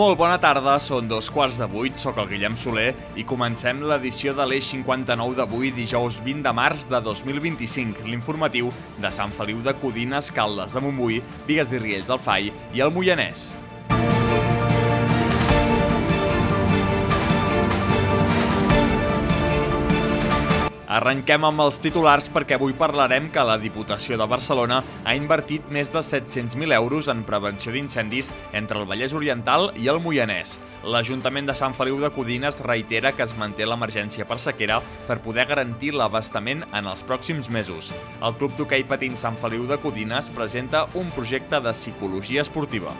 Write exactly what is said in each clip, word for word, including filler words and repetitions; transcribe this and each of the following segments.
Molt bona tarda, són dos quarts de vuit, soc el Guillem Soler i comencem l'edició de l'Eix cinquanta-nou d'avui, dijous vint de març de dos mil vint-i-cinc, l'informatiu de Sant Feliu de Codines, Caldes de Montbui, Bigues i Riells del Fai i el Moianès. Arrenquem amb els titulars perquè avui parlarem que la Diputació de Barcelona ha invertit més de set-cents mil euros en prevenció d'incendis entre el Vallès Oriental i el Moianès. L'Ajuntament de Sant Feliu de Codines reitera que es manté l'emergència per sequera per poder garantir l'abastament en els pròxims mesos. El Club d'Hoquei Patins Sant Feliu de Codines presenta un projecte de psicologia esportiva.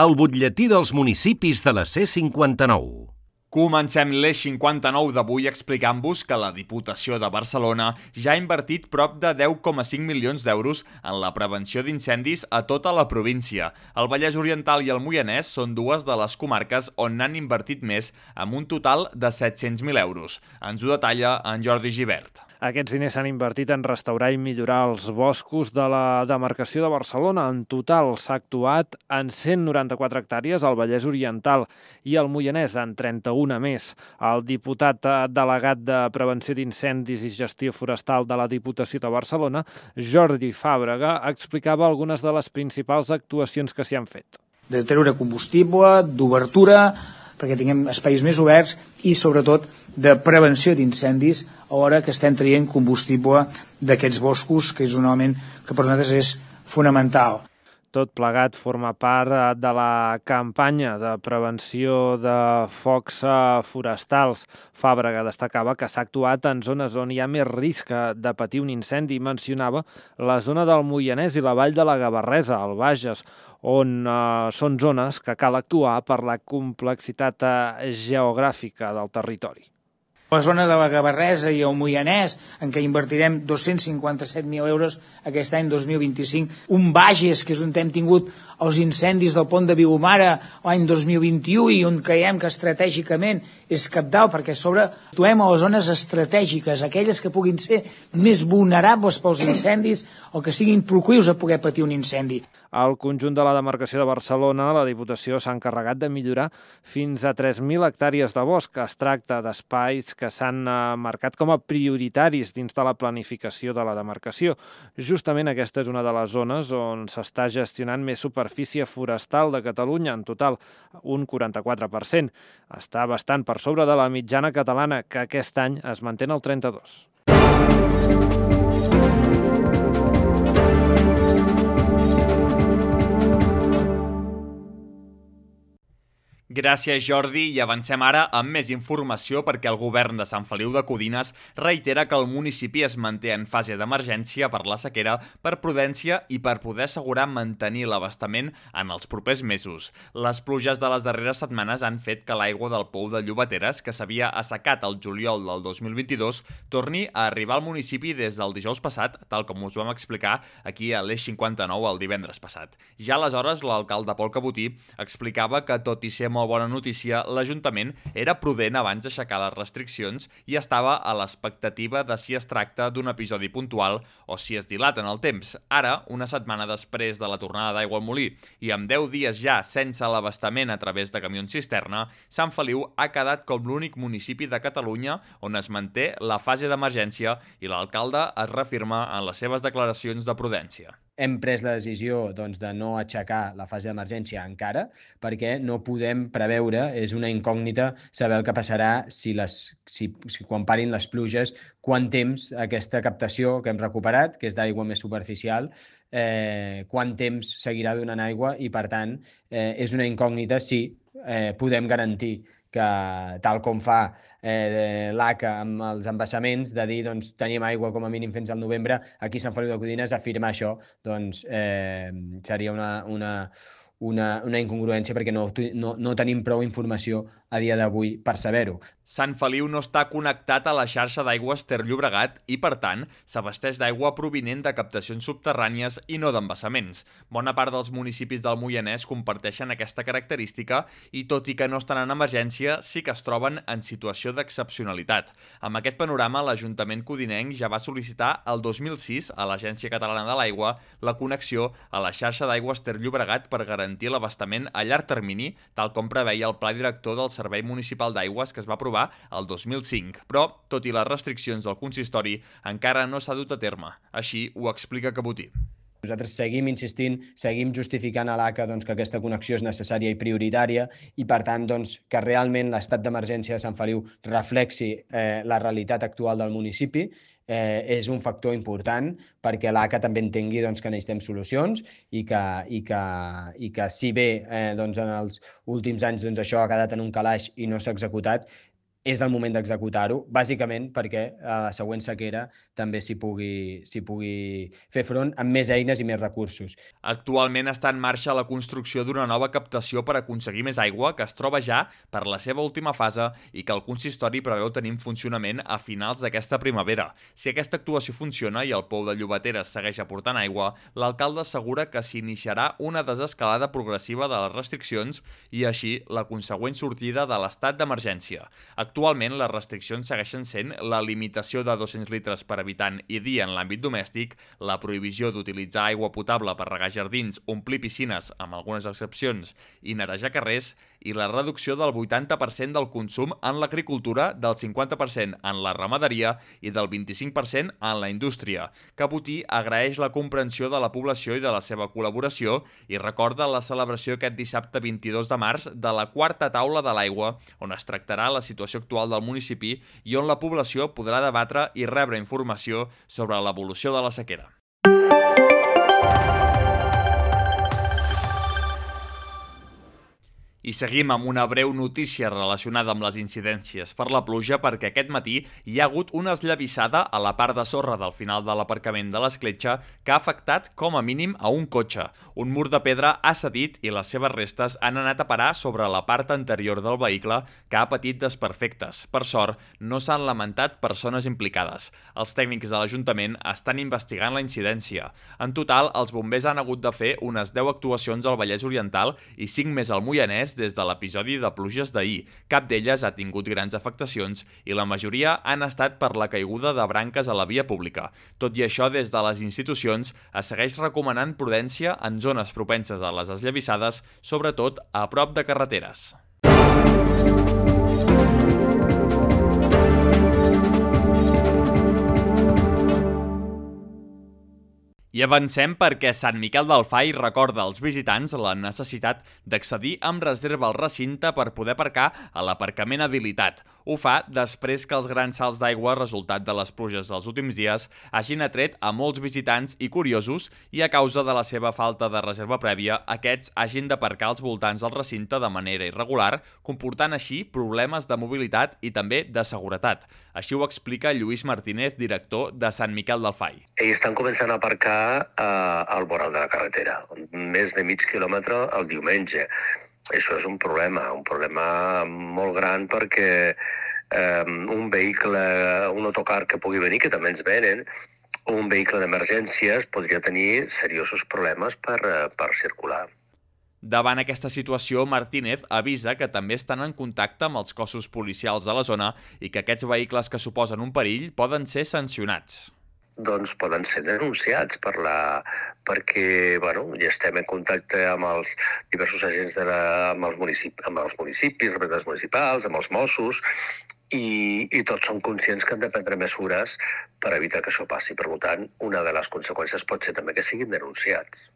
El butlletí dels municipis de la C cinquanta-nou. Comencem l'Eix cinquanta-nou d'avui explicant-vos que la Diputació de Barcelona ja ha invertit prop de deu coma cinc milions d'euros en la prevenció d'incendis a tota la província. El Vallès Oriental i el Moianès són dues de les comarques on n'han invertit més, amb un total de set-cents mil euros. Ens ho detalla en Jordi Gibert. Aquests diners s'han invertit en restaurar i millorar els boscos de la demarcació de Barcelona. En total s'ha actuat en cent noranta-quatre hectàrees al Vallès Oriental i al Moianès en trenta-una més. El diputat delegat de Prevenció d'Incendis i Gestió Forestal de la Diputació de Barcelona, Jordi Fàbrega, explicava algunes de les principals actuacions que s'hi han fet. De treure combustible, d'obertura, perquè tinguem espais més oberts i, sobretot, de prevenció d'incendis a l'hora que estem traient combustible d'aquests boscos, que és un element que per nosaltres és fonamental. Tot plegat forma part de la campanya de prevenció de focs forestals. Fàbrega destacava que s'ha actuat en zones on hi ha més risc de patir un incendi. Mencionava la zona del Moianès i la vall de la Gavarresa, al Bages, on eh, són zones que cal actuar per la complexitat eh, geogràfica del territori. La zona de la Gavarresa i el Moianès, en què invertirem dos-cents cinquanta-set mil euros aquest any dos mil vint-i-cinc. Un Bages, que és on hem tingut els incendis del pont de Vilomara l'any dos mil vint-i-u i on creiem que estratègicament és cabdal, perquè a sobre actuem a les zones estratègiques, aquelles que puguin ser més vulnerables pels incendis o que siguin proclius a poder patir un incendi. Al conjunt de la demarcació de Barcelona, la Diputació s'ha encarregat de millorar fins a tres mil hectàrees de bosc. Es tracta d'espais que s'han marcat com a prioritaris dins de la planificació de la demarcació. Justament aquesta és una de les zones on s'està gestionant més superfície forestal de Catalunya, en total un quaranta-quatre per cent. Està bastant per sobre de la mitjana catalana, que aquest any es manté en el trenta-dos per cent. Gràcies, Jordi, i avancem ara amb més informació perquè el govern de Sant Feliu de Codines reitera que el municipi es manté en fase d'emergència per la sequera, per prudència i per poder assegurar mantenir l'abastament en els propers mesos. Les pluges de les darreres setmanes han fet que l'aigua del pou de Llobateres, que s'havia assecat el juliol del dos mil vint-i-dos, torni a arribar al municipi des del dijous passat, tal com us vam explicar aquí a l'Eix cinquanta-nou el divendres passat. Ja aleshores, l'alcalde Pol Cabotí explicava que, tot i ser molt bona notícia, l'Ajuntament era prudent abans d'aixecar les restriccions i estava a l'expectativa de si es tracta d'un episodi puntual o si es dilata en el temps. Ara, una setmana després de la tornada d'aigua al molí i amb deu dies ja sense l'abastament a través de camions cisterna, Sant Feliu ha quedat com l'únic municipi de Catalunya on es manté la fase d'emergència i l'alcalde es reafirma en les seves declaracions de prudència. Hem pres la decisió doncs, de no aixecar la fase d'emergència encara perquè no podem preveure, és una incògnita saber el que passarà si, les, si, si quan parin les pluges, quant temps aquesta captació que hem recuperat, que és d'aigua més superficial, eh, quant temps seguirà donant aigua i, per tant, eh, és una incògnita si eh, podem garantir que, tal com fa eh, l'A C A amb els embassaments, de dir doncs, tenim aigua com a mínim fins al novembre, aquí a Sant Feliu de Codines afirmar això doncs, eh, seria una, una, una, una incongruència perquè no, no, no tenim prou informació a dia d'avui per saber-ho. Sant Feliu no està connectat a la xarxa d'aigües Ter Llobregat i, per tant, s'abasteix d'aigua provinent de captacions subterrànies i no d'embassaments. Bona part dels municipis del Moianès comparteixen aquesta característica i, tot i que no estan en emergència, sí que es troben en situació d'excepcionalitat. Amb aquest panorama, l'Ajuntament codinenc ja va sol·licitar el dos mil sis a l'Agència Catalana de l'Aigua la connexió a la xarxa d'aigües Ter Llobregat per garantir l'abastament a llarg termini, tal com preveia el Pla Director del Servei Municipal d'Aigües que es va aprovar el dos mil cinc. Però, tot i les restriccions del consistori, encara no s'ha dut a terme. Així ho explica Cabotí. Nosaltres seguim insistint, seguim justificant a l'A C A doncs, que aquesta connexió és necessària i prioritària i, per tant, doncs, que realment l'estat d'emergència de Sant Feliu reflexi eh, la realitat actual del municipi. Eh, és un factor important perquè l'A C A també entengui doncs, que necessitem solucions i que, i que, i que si bé eh, doncs, en els últims anys doncs, això ha quedat en un calaix i no s'ha executat, és el moment d'executar-ho, bàsicament perquè a la següent sequera també s'hi pugui, s'hi pugui fer front amb més eines i més recursos. Actualment està en marxa la construcció d'una nova captació per aconseguir més aigua que es troba ja per la seva última fase i que el consistori preveu tenir en funcionament a finals d'aquesta primavera. Si aquesta actuació funciona i el pou de Llobateres segueix aportant aigua, l'alcalde assegura que s'iniciarà una desescalada progressiva de les restriccions i així la consegüent sortida de l'estat d'emergència. Actualment, les restriccions segueixen sent la limitació de dos-cents litres per habitant i dia en l'àmbit domèstic, la prohibició d'utilitzar aigua potable per regar jardins, omplir piscines, amb algunes excepcions, i netejar carrers, i la reducció del vuitanta per cent del consum en l'agricultura, del cinquanta per cent en la ramaderia i del vint-i-cinc per cent en la indústria. Cabotí agraeix la comprensió de la població i de la seva col·laboració i recorda la celebració aquest dissabte vint-i-dos de març de la quarta taula de l'aigua, on es tractarà la situació actual del municipi i on la població podrà debatre i rebre informació sobre l'evolució de la sequera. I seguim amb una breu notícia relacionada amb les incidències per la pluja perquè aquest matí hi ha hagut una esllavissada a la part de sorra del final de l'aparcament de l'Escletxa que ha afectat com a mínim a un cotxe. Un mur de pedra ha cedit i les seves restes han anat a parar sobre la part anterior del vehicle que ha patit desperfectes. Per sort, no s'han lamentat persones implicades. Els tècnics de l'Ajuntament estan investigant la incidència. En total, els bombers han hagut de fer unes deu actuacions al Vallès Oriental i cinc més al Moianès des de l'episodi de pluges d'ahir. Cap d'elles ha tingut grans afectacions i la majoria han estat per la caiguda de branques a la via pública. Tot i això, des de les institucions es segueix recomanant prudència en zones propenses a les esllavissades, sobretot a prop de carreteres. I avancem perquè Sant Miquel del Fai recorda als visitants la necessitat d'accedir amb reserva al recinte per poder aparcar a l'aparcament habilitat. Ho fa després que els grans salts d'aigua resultat de les pluges dels últims dies hagin atret a molts visitants i curiosos i a causa de la seva falta de reserva prèvia, aquests hagin d'aparcar als voltants del recinte de manera irregular, comportant així problemes de mobilitat i també de seguretat. Així ho explica Lluís Martínez, director de Sant Miquel del Fai. Ells estan començant a aparcar al voral de la carretera, més de mig quilòmetre el diumenge. Això és un problema, un problema molt gran perquè eh, un vehicle, un autocar que pugui venir, que també ens venen, un vehicle d'emergències podria tenir seriosos problemes per, per circular. Davant aquesta situació, Martínez avisa que també estan en contacte amb els cossos policials de la zona i que aquests vehicles que suposen un perill poden ser sancionats. Doncs poden ser denunciats per la... perquè bueno, ja estem en contacte amb els diversos agents de la... amb, els municip... amb els municipis, representants municipals, amb els Mossos, i, i tots són conscients que han de prendre mesures per evitar que això passi. Per tant, una de les conseqüències pot ser també que siguin denunciats.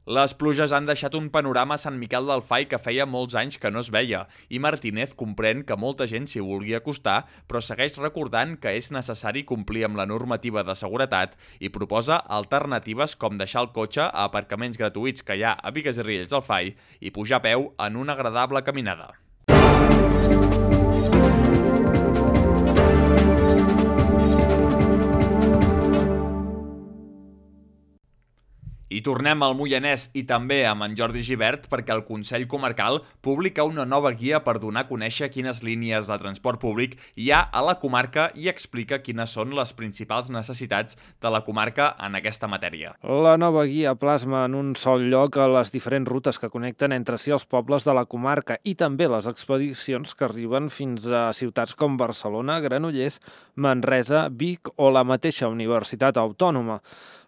Les pluges han deixat un panorama a Sant Miquel del Fai que feia molts anys que no es veia i Martínez comprèn que molta gent s'hi vulgui acostar, però segueix recordant que és necessari complir amb la normativa de seguretat i proposa alternatives com deixar el cotxe a aparcaments gratuïts que hi ha a Bigues i Riells del Fai i pujar a peu en una agradable caminada. I tornem al Moianès i també amb en Jordi Gibert perquè el Consell Comarcal publica una nova guia per donar a conèixer quines línies de transport públic hi ha a la comarca i explica quines són les principals necessitats de la comarca en aquesta matèria. La nova guia plasma en un sol lloc les diferents rutes que connecten entre si els pobles de la comarca i també les expedicions que arriben fins a ciutats com Barcelona, Granollers, Manresa, Vic o la mateixa Universitat Autònoma.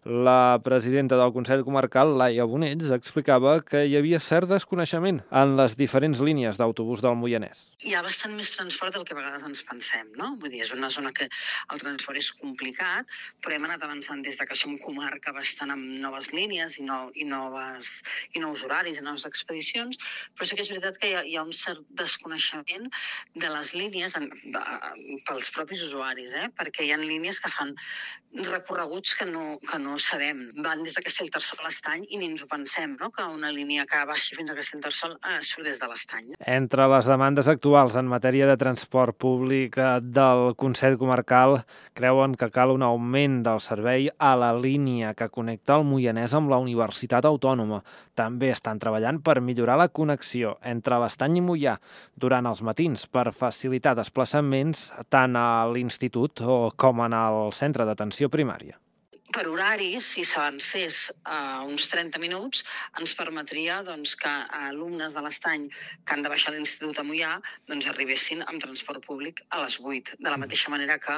La presidenta del Consell Comarcal, Laia Bonells, explicava que hi havia cert desconeixement en les diferents línies d'autobús del Moianès. Hi ha bastant més transport del que a vegades ens pensem, no? Vull dir, és una zona que el transport és complicat, però hem anat avançant des de que som comarca bastant amb noves línies i, no, i, noves, i nous horaris i noves expedicions, però sí que és veritat que hi ha, hi ha un cert desconeixement de les línies en, de, pels propis usuaris, eh? Perquè hi ha línies que fan recorreguts que no, que no sabem. Van des de Castellterçol a l'Estany i ni ens ho pensem, no? Que una línia que baixi fins a Castellterçol eh, surt des de l'Estany. Entre les demandes actuals en matèria de transport públic del Consell Comarcal creuen que cal un augment del servei a la línia que connecta el Moianès amb la Universitat Autònoma. També estan treballant per millorar la connexió entre l'Estany i Moià durant els matins per facilitar desplaçaments tant a l'institut com en el centre d'atenció primària. Per horari, si s'avancés a uns trenta minuts, ens permetria doncs, que alumnes de l'Estany que han de baixar a l'Institut a Moià doncs, arribessin amb transport públic a les vuit. De la mateixa manera que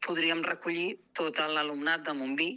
podríem recollir tot l'alumnat de Montbí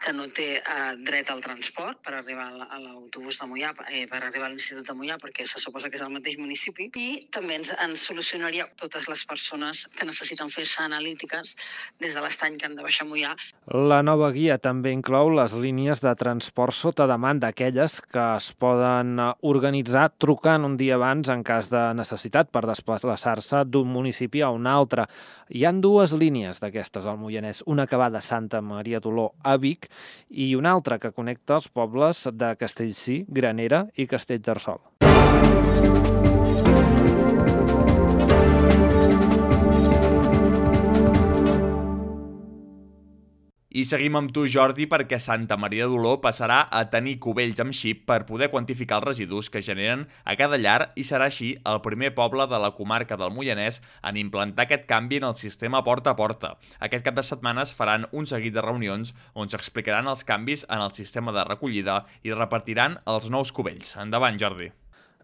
que no té eh, dret al transport per arribar a l'autobús de Moià, eh, per arribar a l'Institut de Moià, perquè se suposa que és el mateix municipi, i també ens, ens solucionaria totes les persones que necessiten fer-se analítiques des de l'Estany que han de baixar a Moià. La nova guia també inclou les línies de transport sota demanda, aquelles que es poden organitzar trucant un dia abans en cas de necessitat per desplaçar-se d'un municipi a un altre. Hi ha dues línies d'aquestes al Moianès, una que va de Santa Maria d'Oló a Vic i una altra que connecta els pobles de Castellcí, Granera i Castellterçol. I seguim amb tu, Jordi, perquè Santa Maria d'Oló passarà a tenir cubells amb xip per poder quantificar els residus que generen a cada llar i serà així el primer poble de la comarca del Moianès en implantar aquest canvi en el sistema porta a porta. Aquest cap de setmana es faran un seguit de reunions on s'explicaran els canvis en el sistema de recollida i repartiran els nous cubells. Endavant, Jordi.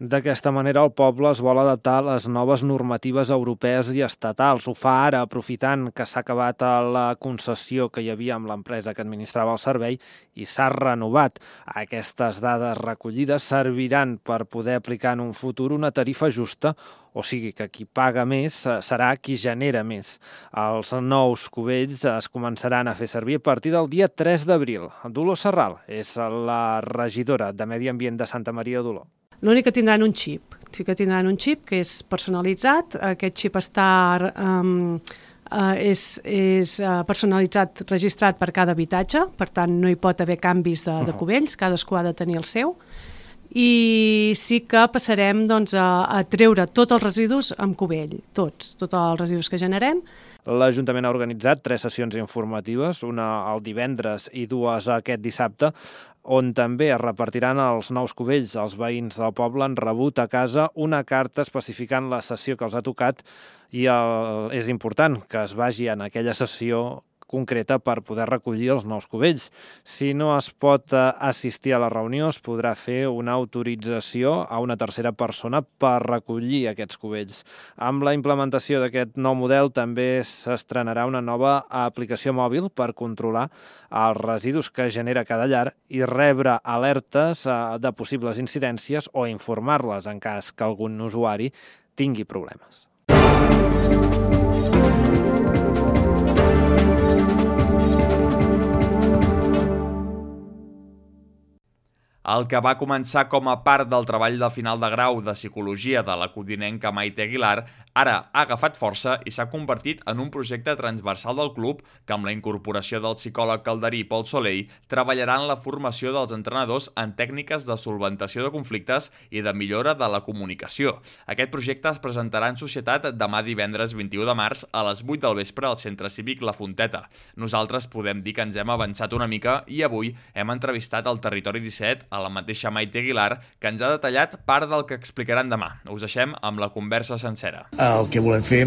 D'aquesta manera, el poble es vol adaptar a les noves normatives europees i estatals. Ho fa ara, aprofitant que s'ha acabat la concessió que hi havia amb l'empresa que administrava el servei i s'ha renovat. Aquestes dades recollides serviran per poder aplicar en un futur una tarifa justa, o sigui que qui paga més serà qui genera més. Els nous cubells es començaran a fer servir a partir del dia tres d'abril. Dolors Serral és la regidora de Medi Ambient de Santa Maria d'Oló. L'únic que tindran un xip, sí que tindran un xip que és personalitzat, aquest xip està, um, uh, és, és uh, personalitzat, registrat per cada habitatge, per tant no hi pot haver canvis de, de cubells, cadascú ha de tenir el seu, i sí que passarem doncs, a, a treure tots els residus amb cubell, tots, tots els residus que generem. L'Ajuntament ha organitzat tres sessions informatives, una el divendres i dues aquest dissabte, on també es repartiran els nous cubells. Els veïns del poble han rebut a casa una carta especificant la sessió que els ha tocat i el, és important que es vagi en aquella sessió concreta per poder recollir els nous cubells. Si no es pot assistir a la reunió, es podrà fer una autorització a una tercera persona per recollir aquests cubells. Amb la implementació d'aquest nou model també s'estrenarà una nova aplicació mòbil per controlar els residus que genera cada llar i rebre alertes de possibles incidències o informar-les en cas que algun usuari tingui problemes. El que va començar com a part del treball de final de grau de psicologia de la codinenca Maite Aguilar, ara ha agafat força i s'ha convertit en un projecte transversal del club que, amb la incorporació del psicòleg calderí Pol Soleil, treballarà en la formació dels entrenadors en tècniques de solventació de conflictes i de millora de la comunicació. Aquest projecte es presentarà en societat demà divendres vint-i-u de març a les vuit del vespre al Centre Cívic La Fonteta. Nosaltres podem dir que ens hem avançat una mica i avui hem entrevistat al Territori disset a la mateixa Maite Aguilar, que ens ha detallat part del que explicaran demà. Us deixem amb la conversa sencera. El que volem fer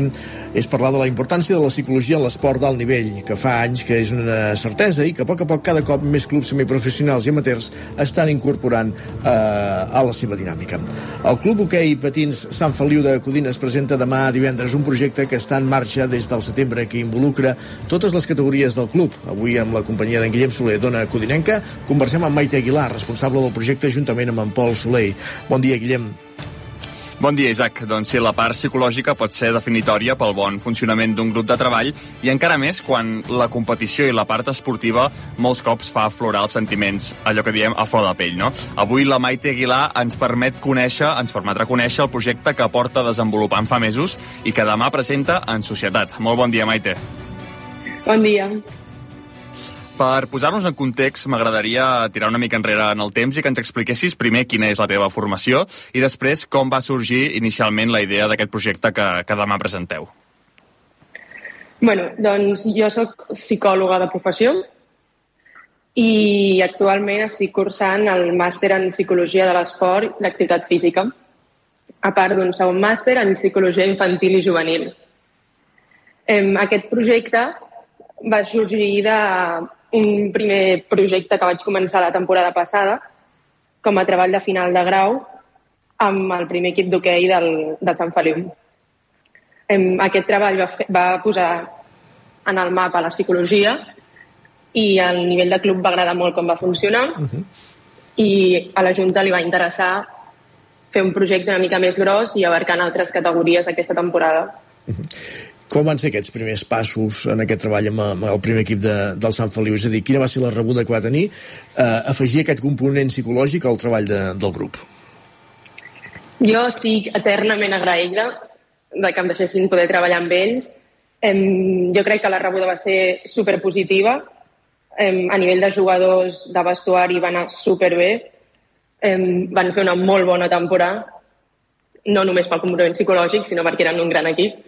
és parlar de la importància de la psicologia en l'esport d'alt nivell, que fa anys que és una certesa i que a poc a poc cada cop més clubs semiprofessionals i amateurs estan incorporant eh, a la seva dinàmica. El Club Hoquei Patins Sant Feliu de Codines presenta demà divendres un projecte que està en marxa des del setembre que involucra totes les categories del club. Avui, amb la companyia d'en Guillem Soler, dona codinenca, conversem amb Maite Aguilar, responsable del projecte, juntament amb en Pol Soleil. Bon dia, Guillem. Bon dia, Isaac. Doncs sí, la part psicològica pot ser definitòria pel bon funcionament d'un grup de treball i encara més quan la competició i la part esportiva molts cops fa aflorar els sentiments, allò que diem a flor de pell, no? Avui la Maite Aguilar ens permet conèixer, ens permetrà conèixer el projecte que porta desenvolupant fa mesos i que demà presenta en societat. Molt bon dia, Maite. Bon dia. Per posar-nos en context, m'agradaria tirar una mica enrere en el temps i que ens expliquessis primer quina és la teva formació i després com va sorgir inicialment la idea d'aquest projecte que, que demà presenteu. Bueno, doncs jo sóc psicòloga de professió i actualment estic cursant el màster en Psicologia de l'Esport i l'Activitat Física, a part d'un segon màster en Psicologia Infantil i Juvenil. Aquest projecte va sorgir d'un primer projecte que vaig començar la temporada passada com a treball de final de grau amb el primer equip d'hoquei del, del Sant Feliu. Aquest treball va, fer, va posar en el mapa la psicologia i al nivell de club va agradar molt com va funcionar uh-huh. i a la Junta li va interessar fer un projecte una mica més gros i abarcant altres categories aquesta temporada. Uh-huh. Com van ser aquests primers passos en aquest treball amb, amb el primer equip de, del Sant Feliu? És a dir, quina va ser la rebuda que va tenir eh, afegir aquest component psicològic al treball de, del grup? Jo estic eternament agraïda de que em deixessin poder treballar amb ells. Em, jo crec que la rebuda va ser superpositiva. Em, a nivell de jugadors de vestuari va anar superbé. Em, van fer una molt bona temporada, no només pel component psicològic, sinó perquè eren un gran equip.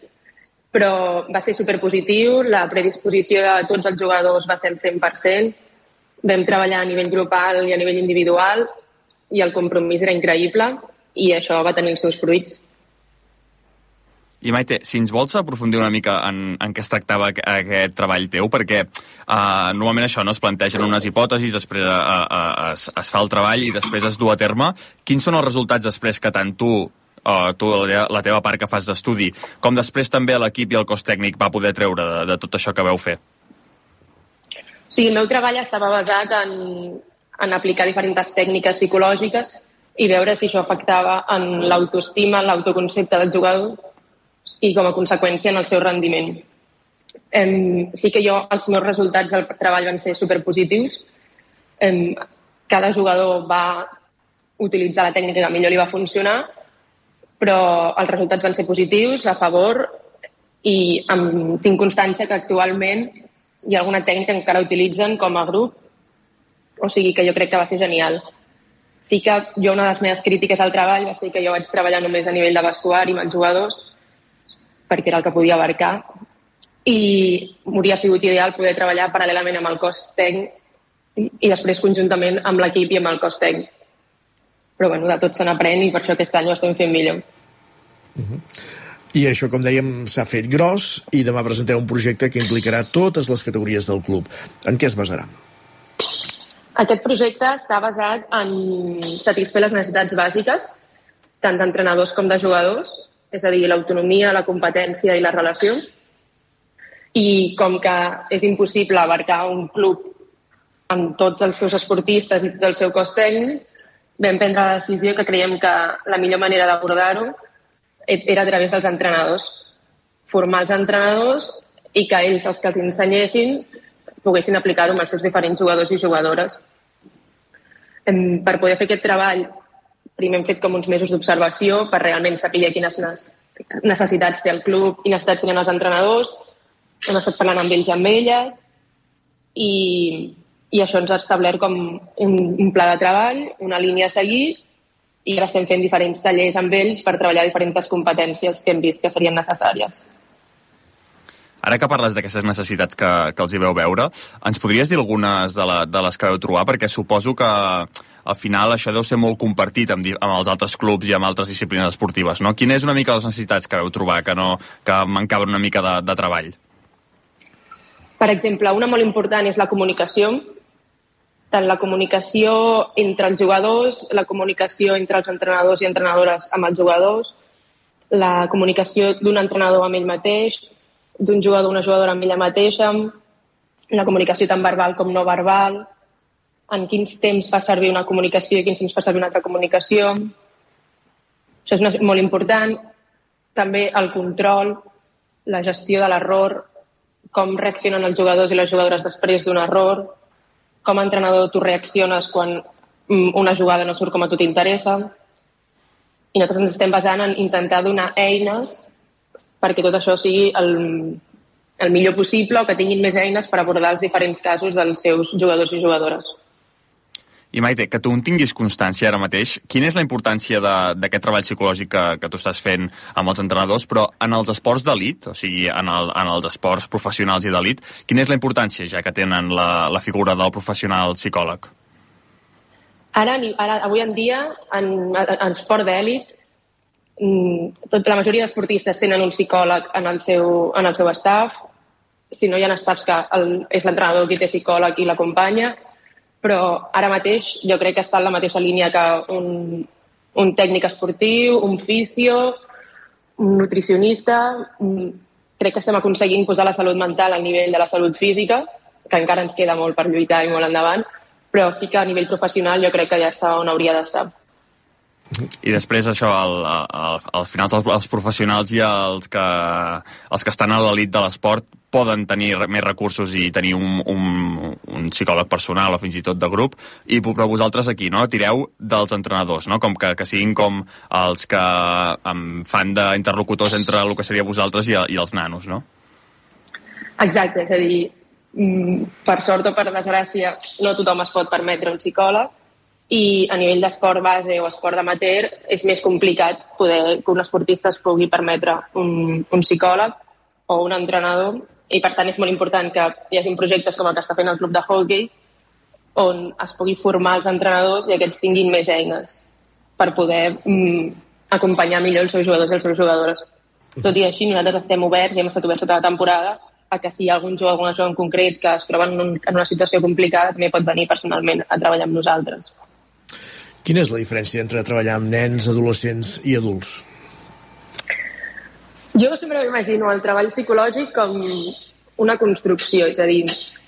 Però va ser superpositiu, la predisposició de tots els jugadors va ser el cent per cent, vam treballar a nivell grupal i a nivell individual i el compromís era increïble i això va tenir els seus fruits. I Maite, si ens vols aprofundir una mica en, en què es tractava aquest treball teu, perquè uh, normalment això no es plantegen unes hipòtesis, després uh, uh, es, es fa el treball i després es du a terme. Quins són els resultats després que tant tu Uh, tu, la teva part que fas d'estudi, com després també l'equip i el cos tècnic va poder treure de, de tot això que veu fer? Sí, el meu treball estava basat en, en aplicar diferents tècniques psicològiques i veure si això afectava en l'autoestima, en l'autoconcepte del jugador i com a conseqüència en el seu rendiment. Em, sí que jo, els meus resultats del treball van ser superpositius. Em, cada jugador va utilitzar la tècnica que millor li va funcionar, però els resultats van ser positius, a favor, i amb, tinc constància que actualment hi ha alguna tècnica que encara utilitzen com a grup, o sigui que jo crec que va ser genial. Sí que jo una de les meves crítiques al treball va ser que jo vaig treballar només a nivell de vestuari amb els jugadors, perquè era el que podia abarcar, i m'hauria sigut ideal poder treballar paral·lelament amb el cos tècnic i després conjuntament amb l'equip i amb el cos tècnic. Però bueno, de tot se n'aprèn i per això aquest any ho estem fent millor. Uh-huh. I això, com dèiem, s'ha fet gros i demà presenteu un projecte que implicarà totes les categories del club. En què es basarà? Aquest projecte està basat en satisfer les necessitats bàsiques, tant d'entrenadors com de jugadors, és a dir, l'autonomia, la competència i la relació. I com que és impossible abarcar un club amb tots els seus esportistes i tot el seu cos tècnic, vam prendre la decisió que creiem que la millor manera d'abordar-ho era a través dels entrenadors. Formar els entrenadors i que ells, els que els ensenyessin, poguessin aplicar-ho amb els seus diferents jugadors i jugadores. Per poder fer aquest treball, primer hem fet com uns mesos d'observació per realment saber quines necessitats té el club i necessitats tenen els entrenadors. Hem estat parlant amb ells i amb elles i, i això ens ha establert com un, un pla de treball, una línia a seguir, i ara estem fent diferents tallers amb ells per treballar diferents competències que hem vist que serien necessàries. Ara que parles d'aquestes necessitats que, que els hi veu veure, ens podries dir algunes de, la, de les que veu trobar? Perquè suposo que al final això deu ser molt compartit amb, amb els altres clubs i amb altres disciplines esportives, no? Quines és una mica les necessitats que veu trobar, que, no, que mancaven una mica de, de treball? Per exemple, una molt important és la comunicació, tant la comunicació entre els jugadors, la comunicació entre els entrenadors i entrenadores amb els jugadors, la comunicació d'un entrenador amb ell mateix, d'un jugador o una jugadora amb ella mateixa, la comunicació tant verbal com no verbal, en quins temps fa servir una comunicació i quins temps fa servir una altra comunicació. Això és una, molt important. També el control, la gestió de l'error, com reaccionen els jugadors i les jugadores després d'un error, com a entrenador tu reacciones quan una jugada no surt com a tu t'interessa. I nosaltres ens estem basant en intentar donar eines perquè tot això sigui el, el millor possible o que tinguin més eines per abordar els diferents casos dels seus jugadors i jugadores. I Maite, que tu en tinguis constància ara mateix, quina és la importància d'aquest treball psicològic que, que tu estàs fent amb els entrenadors, però en els esports d'elit, o sigui, en, el, en els esports professionals i d'elit, quina és la importància ja que tenen la, la figura del professional psicòleg? Ara, ara avui en dia, en, en esport d'elit, la majoria d'esportistes tenen un psicòleg en el seu, en el seu staff. Si no, hi ha estats que el, és l'entrenador qui té psicòleg i l'acompanya, però ara mateix jo crec que està en la mateixa línia que un, un tècnic esportiu, un fisio, un nutricionista. Crec que estem aconseguint posar la salut mental al nivell de la salut física, que encara ens queda molt per lluitar i molt endavant, però sí que a nivell professional jo crec que ja està on hauria d'estar. I després això, al, al, al final els, els professionals i els que, els que estan a l'elit de l'esport poden tenir més recursos i tenir un, un, un psicòleg personal o fins i tot de grup, i però vosaltres aquí, no?, tireu dels entrenadors, no?, com que, que siguin com els que um, fan d'interlocutors entre el que seria vosaltres i, i els nanos, no? Exacte, és a dir, per sort o per desgràcia, no tothom es pot permetre un psicòleg, i a nivell d'esport base o esport amateur és més complicat poder que un esportista es pugui permetre un, un psicòleg o un entrenador, i per tant és molt important que hi hagi projectes com el que està fent el club de hockey on es pugui formar els entrenadors i aquests tinguin més eines per poder mm, acompanyar millor els seus jugadors i les seves jugadores. Tot i així, nosaltres estem oberts i hem estat oberts tota la temporada a que si hi ha algun jugador, alguna jugador en concret que es troba en, un, en una situació complicada també pot venir personalment a treballar amb nosaltres. Quina és la diferència entre treballar amb nens, adolescents i adults? Jo sempre m'imagino el treball psicològic com una construcció, és a dir,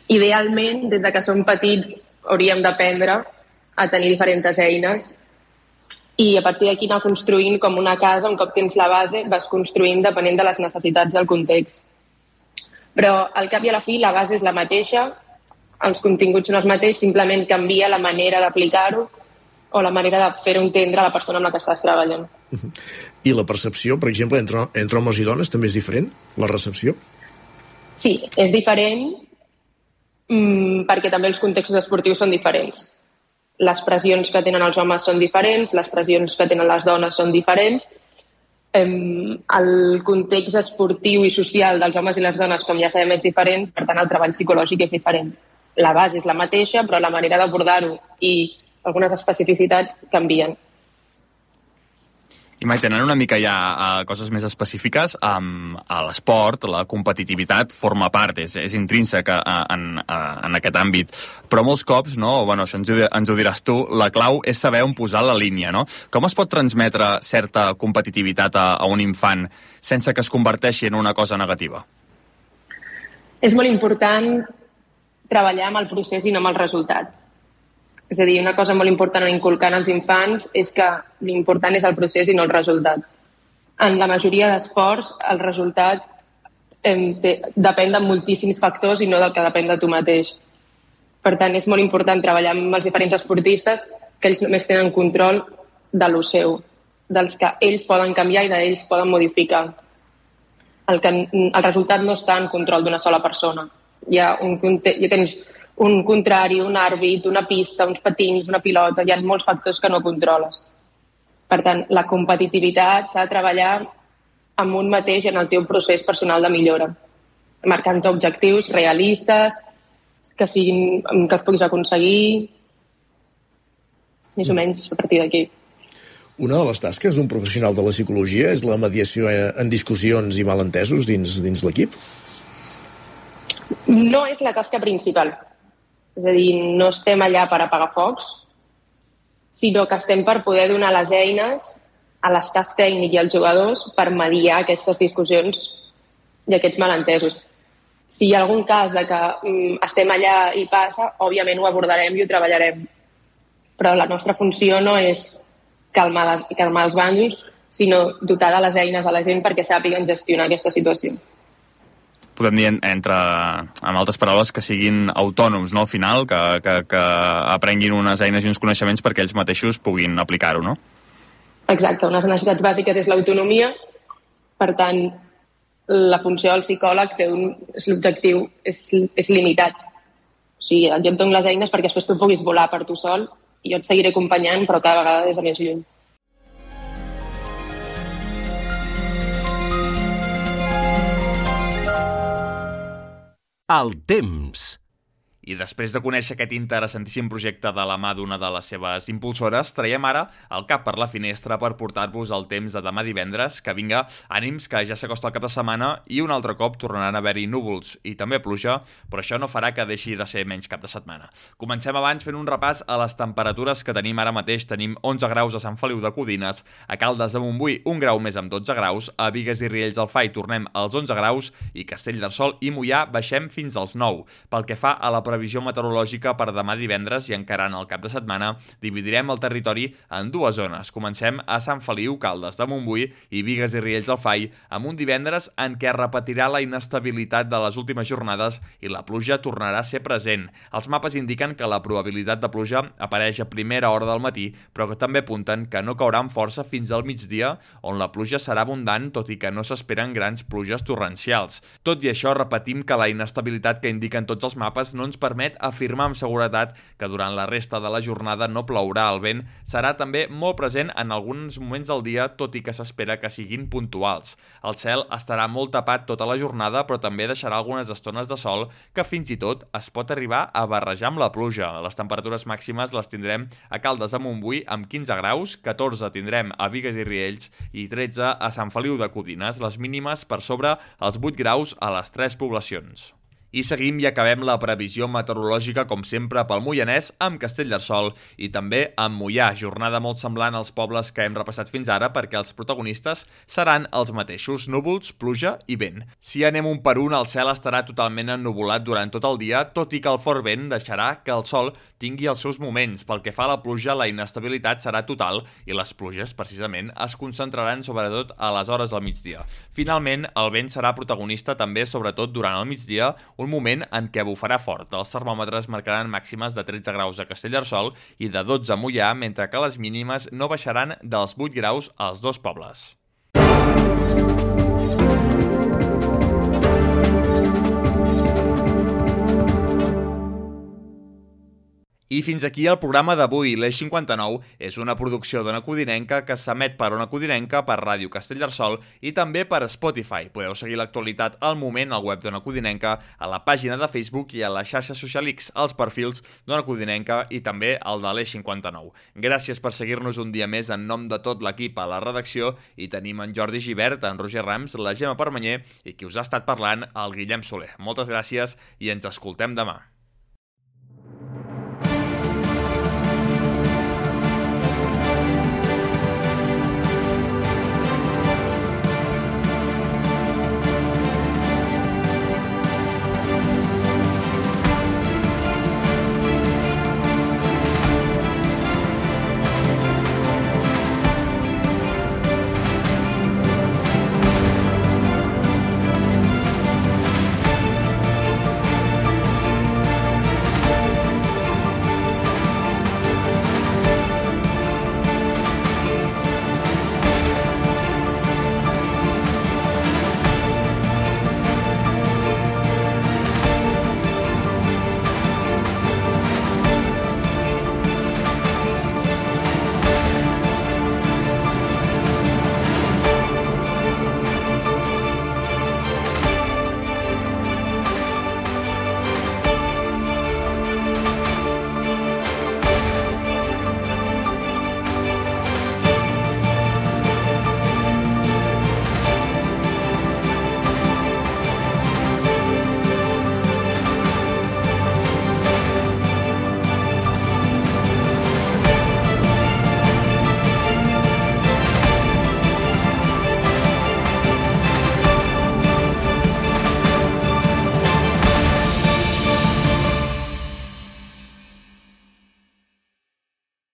idealment, des de que som petits, hauríem d'aprendre a tenir diferents eines i a partir d'aquí anar construint com una casa, un cop tens la base, vas construint depenent de les necessitats del context. Però al cap i a la fi la base és la mateixa, els continguts són els mateixos, simplement canvia la manera d'aplicar-ho o la manera de fer-ho entendre a la persona amb la que estàs treballant. I la percepció, per exemple, entre, entre homes i dones també és diferent? La recepció? Sí, és diferent mmm, perquè també els contextos esportius són diferents. Les pressions que tenen els homes són diferents, les pressions que tenen les dones són diferents. Ehm, el context esportiu i social dels homes i les dones, com ja sabem, és diferent, per tant el treball psicològic és diferent. La base és la mateixa, però la manera d'abordar-ho i algunes especificitats canvien. I Maite, anant una mica ja a coses més específiques, um, a l'esport, la competitivitat forma part, és, és intrínsec en, en aquest àmbit, però molts cops, no, bueno, això ens ho, ens ho diràs tu, la clau és saber on posar la línia, no? Com es pot transmetre certa competitivitat a, a un infant sense que es converteixi en una cosa negativa? És molt important treballar amb el procés i no amb el resultat. És a dir, una cosa molt important a inculcar als infants és que l'important és el procés i no el resultat. En la majoria d'esports, el resultat eh, te, depèn de moltíssims factors i no del que depèn de tu mateix. Per tant, és molt important treballar amb els diferents esportistes que ells només tenen control de lo seu, dels que ells poden canviar i d'ells poden modificar. El, que, el resultat no està en control d'una sola persona. Hi ha un, ja tens un contrari, un àrbit, una pista, uns patins, una pilota, hi ha molts factors que no controles. Per tant, la competitivitat s'ha de treballar amb un mateix en el teu procés personal de millora, marcant objectius realistes, que, siguin, que els puguis aconseguir, més o menys a partir d'aquí. Una de les tasques d'un professional de la psicologia és la mediació en discussions i malentesos dins, dins l'equip? No és la tasca principal. És a dir, no estem allà per apagar focs, sinó que estem per poder donar les eines a l'estaf tècnic i als jugadors per mediar aquestes discussions i aquests malentesos. Si hi ha algun cas de que mm, estem allà i passa, òbviament ho abordarem i ho treballarem. Però la nostra funció no és calmar, les, calmar els bàndols, sinó dotar de les eines a la gent perquè sàpiguen gestionar aquesta situació. Podem dir, entre, amb altres paraules, que siguin autònoms, no?, al final, que, que, que aprenguin unes eines i uns coneixements perquè ells mateixos puguin aplicar-ho, no? Exacte, unes necessitats bàsiques és l'autonomia, per tant, la funció del psicòleg té un, és l'objectiu és, és limitat. O sigui, jo et dono les eines perquè després tu puguis volar per tu sol i jo et seguiré acompanyant, però cada vegada des de més lluny. El temps. I després de conèixer aquest interessantíssim projecte de la mà d'una de les seves impulsores, traiem ara el cap per la finestra per portar-vos el temps de demà divendres. Que vinga, ànims, que ja s'acosta el cap de setmana i un altre cop tornaran a haver-hi núvols i també pluja, però això no farà que deixi de ser menys cap de setmana. Comencem abans fent un repàs a les temperatures que tenim ara mateix. Tenim onze graus a Sant Feliu de Codines, a Caldes de Montbui un grau més amb dotze graus, a Bigues i Riells del Fai tornem als onze graus i Castellterçol i Moià baixem fins als nou. Pel que fa a la previsió meteorològica per demà divendres i encarant el cap de setmana, dividirem el territori en dues zones. Comencem a Sant Feliu, Caldes de Montbui i Bigues i Riells del Fai, amb un divendres en què repetirà la inestabilitat de les últimes jornades i la pluja tornarà a ser present. Els mapes indiquen que la probabilitat de pluja apareix a primera hora del matí, però que també apunten que no caurà amb força fins al migdia, on la pluja serà abundant, tot i que no s'esperen grans pluges torrencials. Tot i això, repetim que la inestabilitat que indiquen tots els mapes no ens permet afirmar amb seguretat que durant la resta de la jornada no plourà. El vent serà també molt present en alguns moments del dia, tot i que s'espera que siguin puntuals. El cel estarà molt tapat tota la jornada, però també deixarà algunes estones de sol que fins i tot es pot arribar a barrejar amb la pluja. Les temperatures màximes les tindrem a Caldes de Montbui amb quinze graus, catorze tindrem a Bigues i Riells i tretze a Sant Feliu de Codines, les mínimes per sobre els vuit graus a les tres poblacions. I seguim i acabem la previsió meteorològica, com sempre, pel Moianès, amb Castellterçol i també amb Moià. Jornada molt semblant als pobles que hem repassat fins ara, perquè els protagonistes seran els mateixos: núvols, pluja i vent. Si anem un per un, el cel estarà totalment ennuvolat durant tot el dia, tot i que el fort vent deixarà que el sol tingui els seus moments. Pel que fa a la pluja, la inestabilitat serà total i les pluges, precisament, es concentraran sobretot a les hores del migdia. Finalment, el vent serà protagonista també, sobretot durant el migdia, un moment en què bufarà fort. Els termòmetres marcaran màximes de tretze graus a Castellterçol i de dotze a Moià, mentre que les mínimes no baixaran dels vuit graus als dos pobles. I fins aquí el programa d'avui. L'Eix cinquanta-nou és una producció d'Ona Codinenca que s'emet per Ona Codinenca, per Ràdio Castellterçol i també per Spotify. Podeu seguir l'actualitat al moment al web d'Ona Codinenca, a la pàgina de Facebook i a la xarxa social X, als perfils d'Ona Codinenca i també al de l'Eix cinquanta-nou. Gràcies per seguir-nos un dia més en nom de tot l'equip a la redacció, i tenim en Jordi Givert, en Roger Rams, la Gemma Permanyer i qui us ha estat parlant, el Guillem Soler. Moltes gràcies i ens escoltem demà.